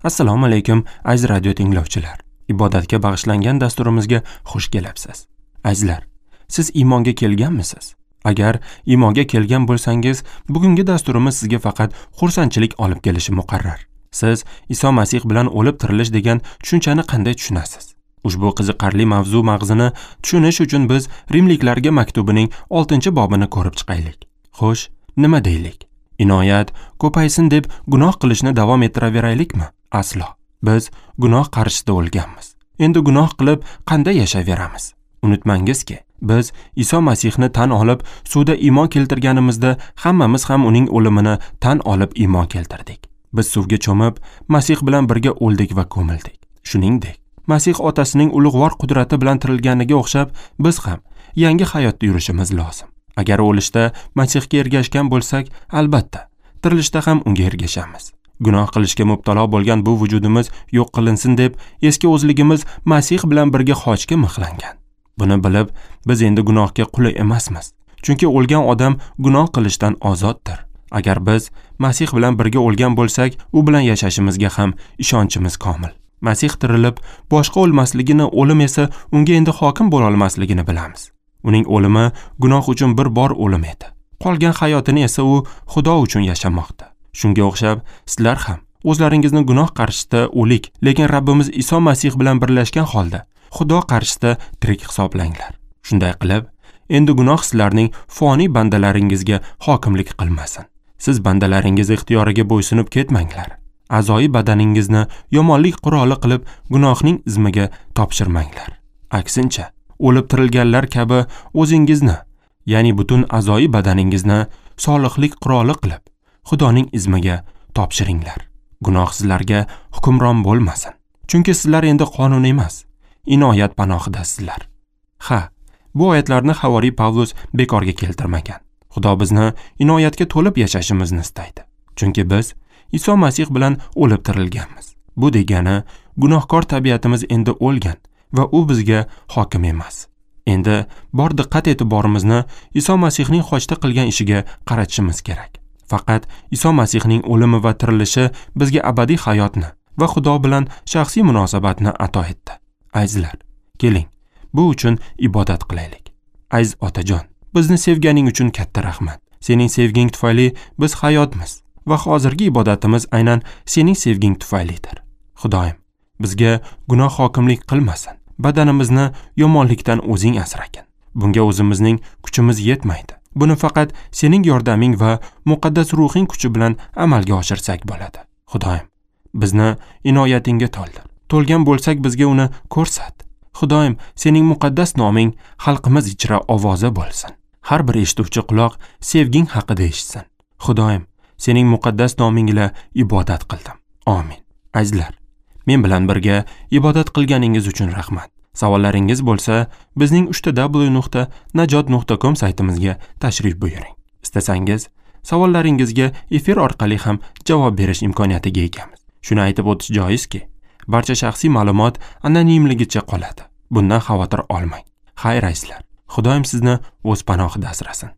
Assalomu alaykum, aziz radio tinglovchilar. Ibodatga bag'ishlangan dasturimizga xush kelibsiz. Azizlar, siz iymonga kelganmisiz? Agar iymonga kelgan bo'lsangiz, bugungi dasturimiz sizga faqat xursandchilik olib kelishi muqarrar. Siz Iso Masih bilan o'lib tirilish degan tushunchani qanday tushunasiz? Ushbu qiziqarli mavzu mag'zini tushunish uchun biz Rimliklarga maktubining 6-bobini ko'rib chiqaylik. Xo'sh, nima deylik? Inoyat ko'paysin deb gunoh qilishni davom ettiraveraylikmi? Aslo. Biz gunoh qarshisida o'lganmiz. Endi gunoh qilib qanday yashayveramiz? Unutmangizki, biz Iso Masihni tan olib, suvda iymon keltirganimizda hammamiz ham uning o'limini tan olib iymon keltirdik. Biz suvga cho'mib, Masih bilan birga o'ldik va ko'mildik. Shuningdek, Masih otasining ulug'vor qudrati bilan tirilganiga o'xshab, biz ham yangi hayotda yurishimiz lozim. Agar o'lishda Masihga ergashgan bo'lsak, albatta, tirilishda ham unga ergashamiz. Gunoh qilishga mubtalo bo'lgan bu vujudimiz yo'q qilinsin deb eski o'zligimiz Masih bilan birga xochga mixlangan. Buni bilib, biz endi gunohga quli emasmiz. Chunki o'lgan odam gunoh qilishdan ozoddir. Agar biz Masih bilan birga o'lgan bo'lsak, u bilan yashashimizga ham ishonchimiz komil. Masih tirilib, boshqa o'lmasligini, o'lim esa unga endi hokim bo'la olmasligini bilamiz. Uning o'limi gunoh uchun bir bor o'lim edi. Qolgan hayotini esa u Xudo uchun yashamoqda. Shunga o'xshab, sizlar ham o'zlaringizni gunoh qarshisida o'lik, lekin Rabbimiz Iso Masih bilan birlashgan holda Xudo qarshisida tirik hisoblanglar. Shunday qilib, endi gunoh sizlarning foniy bandalaringizga hokimlik qilmasin. Siz bandalaringiz ixtiyoriga bo'ysunib ketmanglar. A'zoyi badaningizni yomonlik quroli qilib gunohning izmiga topshirmanglar. Aksincha, o'lib tirilganlar kabi o'zingizni, ya'ni butun a'zoyi badaningizni solihlik quroli qilib Xudoning izmiga topshiringlar. Gunoh sizlarga hukmron bo'lmasin. Chunki sizlar endi qonun emas, inoyat panohidasizlar. Ha, bu oyatlarni havoriy Pavlus bekorga keltirmagan. Xudo bizni inoyatga to'lib yashashimizni istaydi. Chunki biz Iso Masih bilan o'lib tirilganmiz. Bu degani gunohkor tabiatimiz endi o'lgan va u bizga hokim emas. Endi bor diqqat e'tiborimizni Iso Masihning xochda qilgan ishiga qaratishimiz kerak. Faqat Iso Masihning o'limi va tirilishi bizga abadiy hayotni va Xudo bilan shaxsiy munosabatni ato etdi. Azizlar, keling, bu uchun ibodat qilaylik. Aziz otajon, bizni sevganing uchun katta rahmat. Sening sevging tufayli biz hayotmiz va hozirgi ibodatimiz aynan sening sevging tufaylidir. Xudoyim, bizga gunoh hokimlik qilmasin. Badanimizni yomonlikdan o'zing asragin. Bunga o'zimizning kuchimiz yetmaydi. Buni faqat sening yordaming va muqaddas ruhing kuchi bilan amalga oshirsak bo'ladi. Xudoyim, bizni inoyatingga to'ldir. To'lgan bo'lsak bizga uni ko'rsat. Xudoyim, sening muqaddas noming xalqimiz ichra ovoza bo'lsin. Har bir eshituvchi quloq sevging haqida eshitsin. Xudoyim, sening muqaddas noming ila ibodat qildim. Amin. Azizlar, men bilan birga ibodat qilganingiz uchun rahmat. Savollaringiz bo'lsa, bizning www.najot.com saytimizga tashrif buyuring. Istasangiz, savollaringizga efir orqali ham javob berish imkoniyatiga egamiz. Shuni aytib o'tish joizki, barcha shaxsiy ma'lumot anonimligicha qoladi. Bundan xavotir olmang. Xayr azizlar, Xudoyim sizni o'z panohida asrasin.